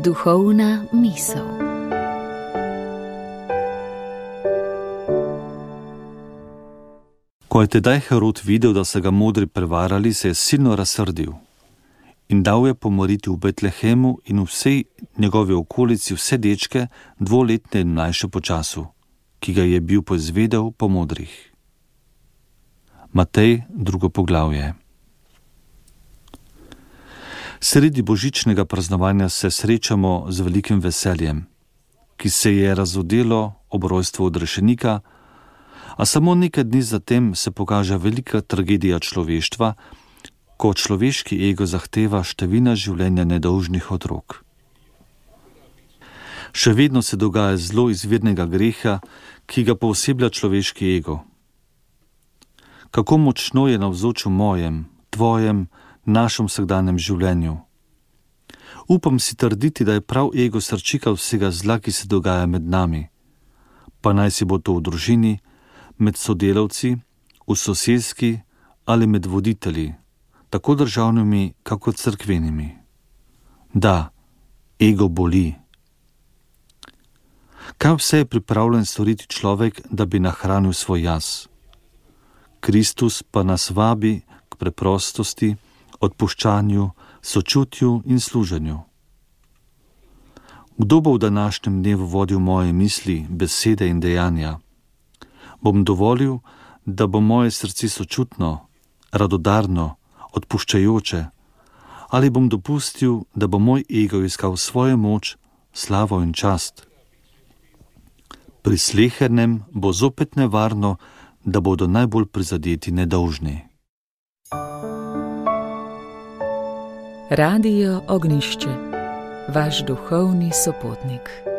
Duhovna misel. Ko je tedaj Herod videl, da so ga modri prevarali, se je silno razsrdil in dal je pomoriti v Betlehemu in v vsej njegovi okolici vse dečke, 2-letne in mlajše po času, ki ga je bil poizvedel po modrih. Matej, 2. poglavje. Sredi božičnega praznovanja se srečamo z velikim veseljem, ki se je razodelo ob rojstvu odrešenika, a samo nekaj dni zatem se pokaže velika tragedija človeštva, ko človeški ego zahteva številna življenja nedolžnih otrok. Še vedno se dogaja zlo izvirnega greha, ki ga pooseblja človeški ego. Kako močno je navzoč v mojem, tvojem, našem vsakdanjem življenju. Upam si trditi, da je prav ego srčika vsega zla, ki se dogaja med nami, pa naj si bo to v družini, med sodelavci, v soseski ali med voditelji, tako državnimi, kako cerkvenimi. Da, ego boli. Kaj vse je pripravljen storiti človek, da bi nahranil svoj jaz? Kristus pa nas vabi k preprostosti, odpuščanju, sočutju in služenju. Kdo bo v današnjem dnevu vodil moje misli, besede in dejanja? Bom dovolil, da bo moje srce sočutno, radodarno, odpuščajoče, ali bom dopustil, da bo moj ego iskal svojo moč, slavo in čast? Pri slehernem bo zopet nevarno, da bodo najbolj prizadeti nedolžni. Radio Ognjišče, vaš duhovni sopotnik.